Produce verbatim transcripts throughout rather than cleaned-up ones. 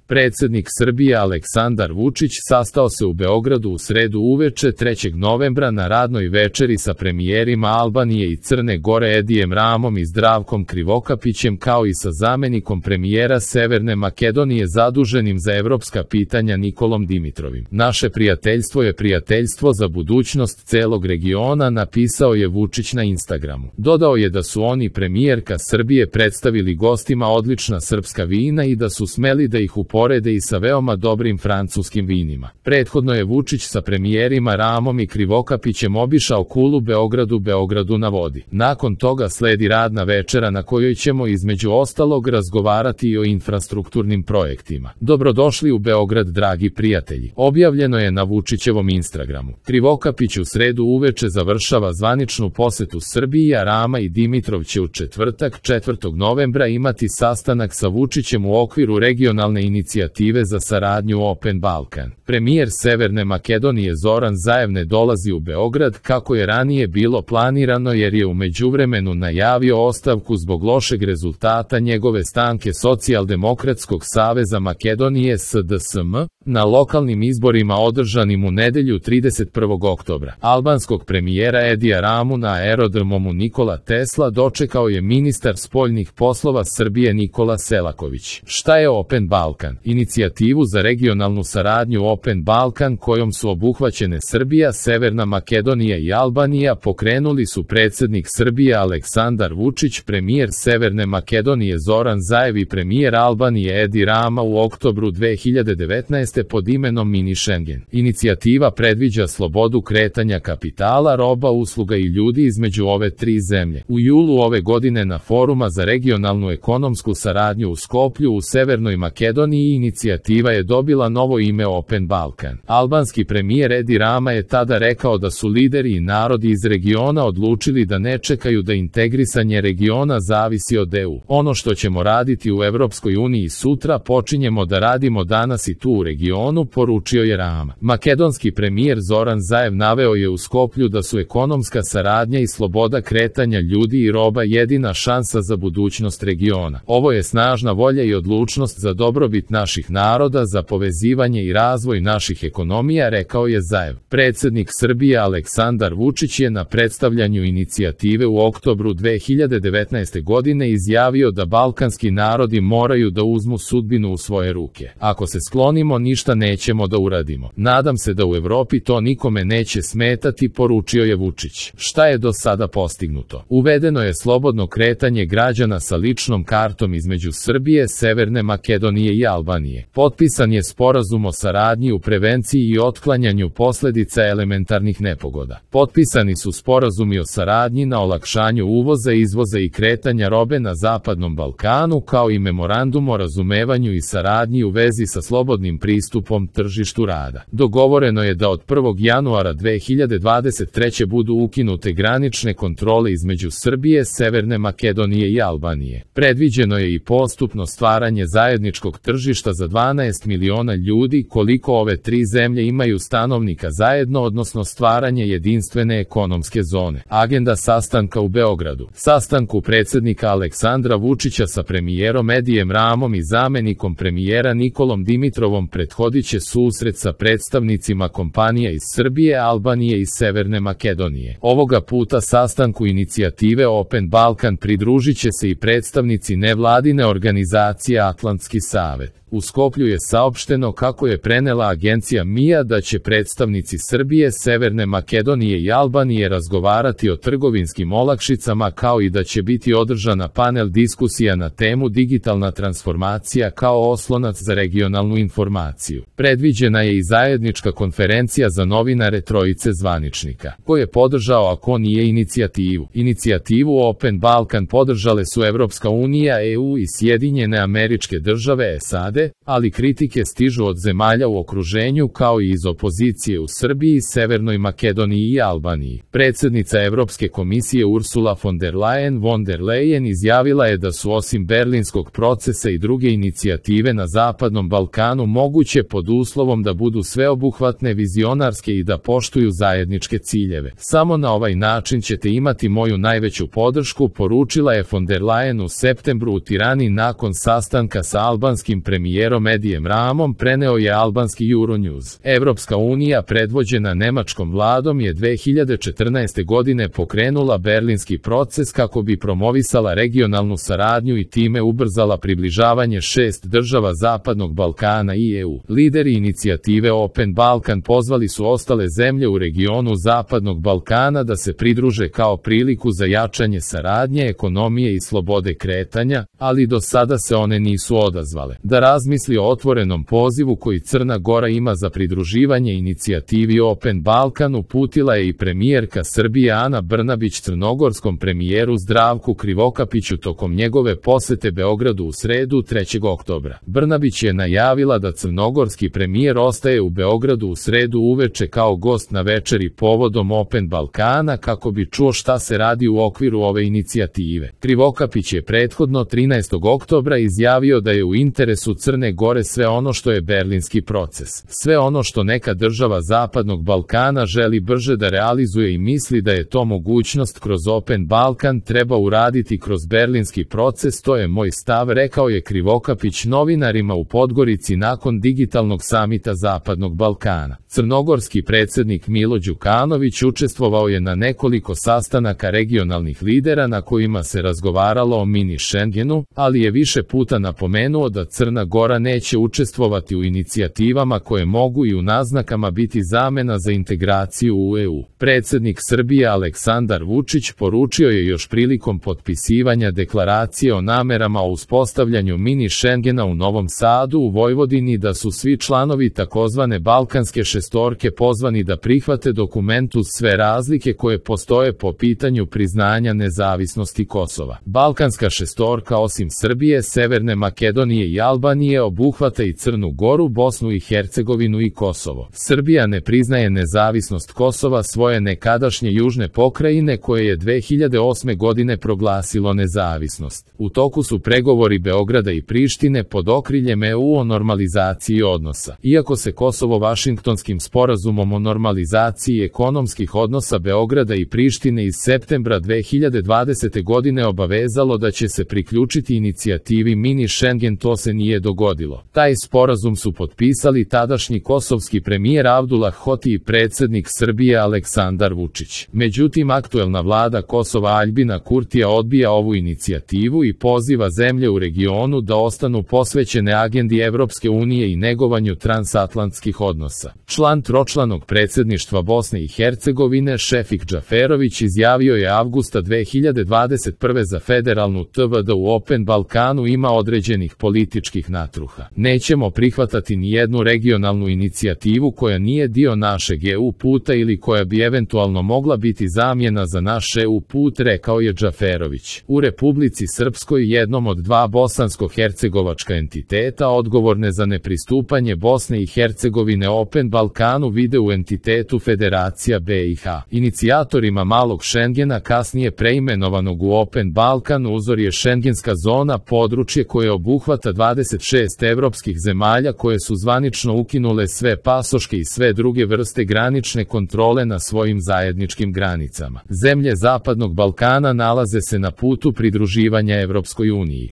Predsjednik Srbije Aleksandar Vučić sastao se u Beogradu u sredu uveče trećeg novembra na radnoj večeri sa premijerima Albanije i Crne Gore Edijem Ramom i Zdravkom Krivokapićem kao i sa zamenikom premijera Severne Makedonije zaduženim za evropska pitanja Nikolom Dimitrovim. Naše prijateljstvo je prijateljstvo za budućnost celog regiona, napisao je Vučić na Instagramu. Dodao je da su oni premijerka Srbije predstavili gostima odlična srpska vina i da su smeli da ih uporede i sa veoma dobrim francuskim vinima. Prethodno je Vučić sa premijerima Ramom i Krivokapićem obišao Kulu Beogradu Beogradu na vodi. Nakon toga sledi radna večera na kojoj ćemo između ostalog razgovarati i o infrastrukturnim projektima. Dobrodošli u Beograd, dragi prijatelji. Objavljeno je na Vučićevom Instagramu. Krivokapić u sredu uveče završava zvaničnu posetu Srbiji, a Rama i Dimitrov će u četvrtak četvrtog novembra imati sastanak sa Vučićem u okviru regionalne inicijative za saradnju Open Balkan. Premijer Severne Makedonije Zoran Zaev ne dolazi u Beograd kako je ranije bilo planirano jer je u međuvremenu najavio ostavku zbog lošeg rezultata njegove stranke Socijaldemokratskog saveza Makedonije S D S M na lokalnim izborima održanim u nedelju trideset prvog oktobra. Albanskog premijera Edija Ramu na aerodromu Nikola Tesla dočekao je ministar spoljnih poslova Srbije Nikola Selaković. Šta je Open Balkan? Inicijativu za regionalnu saradnju Open Balkan kojom su obuhvaćene Srbija, Severna Makedonija i Albanija pokrenuli su predsjednik Srbije Aleksandar Vučić, premijer Severne Makedonije Zoran Zaev i premijer Albanije Edi Rama u oktobru dve hiljade devetnaeste. pod imenom Mini Schengen. Inicijativa predviđa slobodu kretanja kapitala, roba, usluga i ljudi između ove tri zemlje. U julu ove godine na Foruma za regionalnu ekonomsku saradnju u Skoplju u Severnoj Makedoniji inicijativa je dobila novo ime Open Balkan. Albanski premijer Edi Rama je tada rekao da su lideri i narodi iz regiona odlučili da ne čekaju da integrisanje regiona zavisi od E U. Ono što ćemo raditi u Evropskoj uniji sutra počinjemo da radimo danas i tu u regionu, poručio je Rama. Makedonski premijer Zoran Zaev naveo je u Skoplju da su ekonomska saradnja i sloboda kretanja ljudi i roba jedina šansa za budućnost regiona. Ovo je snažna volja i odlučnost za dobrobit naših naroda, za povezivanje i razvoj naših ekonomija, rekao je Zaev. Predsjednik Srbije Aleksandar Vučić je na predstavljanju inicijative u oktobru dve hiljade devetnaeste. godine izjavio da balkanski narodi moraju da uzmu sudbinu u svoje ruke. Ako se sklonimo, ništa nećemo da uradimo. Nadam se da u Evropi to nikome neće smetati, poručio je Vučić. Šta je do sada postignuto? Uvedeno je slobodno kretanje građana sa ličnom kartom između Srbije, Severne Makedonije i Albanije. Potpisan je sporazum o saradnji u prevenciji i otklanjanju posljedica elementarnih nepogoda. Potpisani su sporazumi o saradnji na olakšanju uvoza, izvoza i kretanja robe na Zapadnom Balkanu, kao i memorandum o razumevanju i saradnji u vezi sa slobodnim pristupom tržištu rada. Dogovoreno je da od prvog januara dve hiljade dvadeset treće. budu ukinute granične kontrole između Srbije, Severne Makedonije i Albanije. Predviđeno je i postupno stvaranje zajedničkog tržišta za dvanaest miliona ljudi koliko ove tri zemlje imaju stanovnika zajedno, odnosno stvaranje jedinstvene ekonomske zone. Agenda sastanka u Beogradu. Sastanku predsjednika Aleksandra Vučića sa premijerom Edijem Ramom i zamenikom premijera Nikolom Dimitrovom prethodit će susret sa predstavnicima kompanija iz Srbije, Albanije i Severne Makedonije. Ovoga puta sastanku inicijative Open Balkan pridružit će se i predstavnici nevladine organizacije Atlantski savet. U Skoplju je saopšteno kako je prenela agencija M I A da će predstavnici Srbije, Severne Makedonije i Albanije razgovarati o trgovinskim olakšicama, kao i da će biti održana panel diskusija na temu digitalna transformacija kao oslonac za regionalnu informaciju. Predviđena je i zajednička konferencija za novinare trojice zvaničnika. Ko je podržao, ako nije inicijativu? Inicijativu Open Balkan podržale su Evropska unija, E U i Sjedinjene Američke Države S A D, ali kritike stižu od zemalja u okruženju kao i iz opozicije u Srbiji, Severnoj Makedoniji i Albaniji. Predsjednica Evropske komisije Ursula von der Leyen von der Leyen izjavila je da su osim berlinskog procesa i druge inicijative na Zapadnom Balkanu moguće pod uslovom da budu sveobuhvatne, vizionarske i da poštuju zajedničke ciljeve. Samo na ovaj način ćete imati moju najveću podršku, poručila je von der Leyen u septembru u Tirani nakon sastanka sa albanskim premijerom premijerom Edijem Ramom, preneo je albanski Euronews. Evropska unija, predvođena nemačkom vladom, je dve hiljade četrnaeste. godine pokrenula berlinski proces kako bi promovisala regionalnu saradnju i time ubrzala približavanje šest država Zapadnog Balkana i E U. Lideri inicijative Open Balkan pozvali su ostale zemlje u regionu Zapadnog Balkana da se pridruže kao priliku za jačanje saradnje, ekonomije i slobode kretanja, ali do sada se one nisu odazvale. Da razmisli o otvorenom pozivu koji Crna Gora ima za pridruživanje inicijativi Open Balkan, uputila je i premijerka Srbije Ana Brnabić crnogorskom premijeru Zdravku Krivokapiću tokom njegove posete Beogradu u sredu trećeg oktobra. Brnabić je najavila da crnogorski premijer ostaje u Beogradu u sredu uveče kao gost na večeri povodom Open Balkana kako bi čuo šta se radi u okviru ove inicijative. Krivokapić je prethodno trinaestog oktobra izjavio da je u interesu Crne Gore sve ono što je berlinski proces. Sve ono što neka država Zapadnog Balkana želi brže da realizuje i misli da je to mogućnost kroz Open Balkan, treba uraditi kroz berlinski proces, to je moj stav, rekao je Krivokapić novinarima u Podgorici nakon digitalnog samita Zapadnog Balkana. Crnogorski predsjednik Milo Đukanović učestvovao je na nekoliko sastanaka regionalnih lidera na kojima se razgovaralo o mini Schengenu, ali je više puta napomenuo da Crna Gora neće učestvovati u inicijativama koje mogu i u naznakama biti zamena za integraciju u E U. Predsjednik Srbije Aleksandar Vučić poručio je još prilikom potpisivanja deklaracije o namerama o uspostavljanju mini Schengena u Novom Sadu u Vojvodini da su svi članovi takozvane Balkanske šestorke pozvani da prihvate dokument uz sve razlike koje postoje po pitanju priznanja nezavisnosti Kosova. Balkanska šestorka osim Srbije, Severne Makedonije i Albanije obuhvata i Crnu Goru, Bosnu i Hercegovinu i Kosovo. Srbija ne priznaje nezavisnost Kosova, svoje nekadašnje južne pokrajine koje je dve hiljade osme. godine proglasilo nezavisnost. U toku su pregovori Beograda i Prištine pod okriljem E U o normalizaciji odnosa. Iako se Kosovo Vašingtonskim sporazumom o normalizaciji ekonomskih odnosa Beograda i Prištine iz septembra dve hiljade dvadesete. godine obavezalo da će se priključiti inicijativi mini Schengen, to se nije dogodilo. Taj sporazum su potpisali tadašnji kosovski premijer Abdullah Hoti i predsjednik Srbije Aleksandar Vučić. Međutim, aktuelna vlada Kosova Aljbina Kurtija odbija ovu inicijativu i poziva zemlje u regionu da ostanu posvećene agendi Evropske unije i negovanju transatlantskih odnosa. Član tročlanog predsjedništva Bosne i Hercegovine Šefik Džaferović izjavio je avgusta dve hiljade dvadeset prve za federalnu T V da u Open Balkanu ima određenih političkih natruha. Nećemo prihvatati ni jednu regionalnu inicijativu koja nije dio našeg E U puta ili koja bi eventualno mogla biti zamjena za naš E U put, rekao je Džaferović. U Republici Srpskoj, jednom od dva bosansko-hercegovačka entiteta odgovorne za nepristupanje Bosne i Hercegovine Open Balkanu, vide u entitetu Federacija B i H. Inicijatorima malog Schengena, kasnije preimenovanog u Open Balkan, uzor je šengenska zona, područje koje obuhvata dvadeset šest evropskih zemalja koje su zvanično ukinule sve pasoške i sve druge vrste granične kontrole na svojim zajedničkim granicama. Zemlje Zapadnog Balkana nalaze se na putu pridruživanja Evropskoj uniji.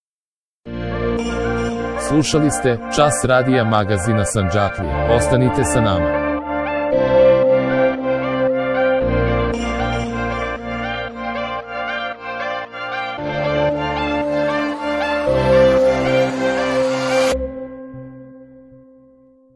Slušali ste Čas radija magazina Sandžaklija. Ostanite sa nama.